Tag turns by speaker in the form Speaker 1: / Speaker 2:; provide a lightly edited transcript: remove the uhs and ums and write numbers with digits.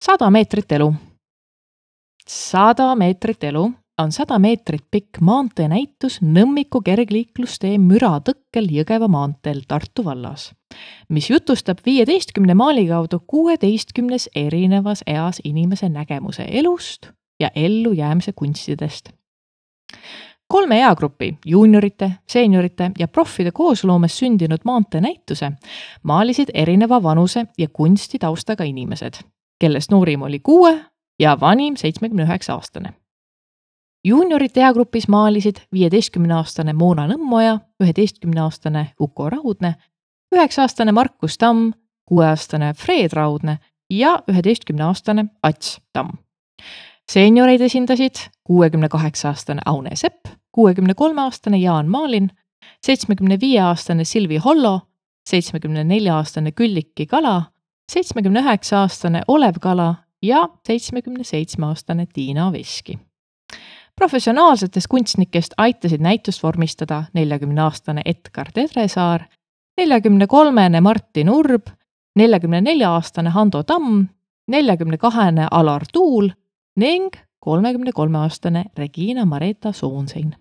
Speaker 1: 100 meetrit elu. 100 meetrit elu on 100 meetrit pikk maanteenäitus Nõmmiku kergliiklustee müratõkkel Jõgeva maanteel Tartu vallas, mis jutustab 15 maali kaudu 16 erinevas eas inimese nägemuse elust ja ellujäämise kunstidest. 3 eagrupi, juuniorite, seeniorite ja proffide koosloomes sündinud maanteenäituse maalisid erineva vanuse ja kunstitaustaga inimesed, kellest noorim oli 6 ja vanim 79-aastane. Juuniorite eagrupis maalisid 15-aastane Moona Nõmmoja, 11-aastane Uko Raudne, 9-aastane Markus Tamm, 6-aastane Fred Raudne ja 11-aastane Ats Tamm. Seenioreid esindasid 68-aastane Aune Sepp, 63-aastane Jaan Maalin, 75-aastane Silvi Hollo, 74-aastane Külliki Kala, 79-aastane Olev Kala ja 77-aastane Tiina Veski. Professionaalsetest kunstnikest aitasid näitust vormistada 40-aastane Edgar Tedresaar, 43-ne Martin Urb, 44-aastane Hando Tamm, 42-ne Alar Tuul ning 33-aastane Regina Mareta Soonsein.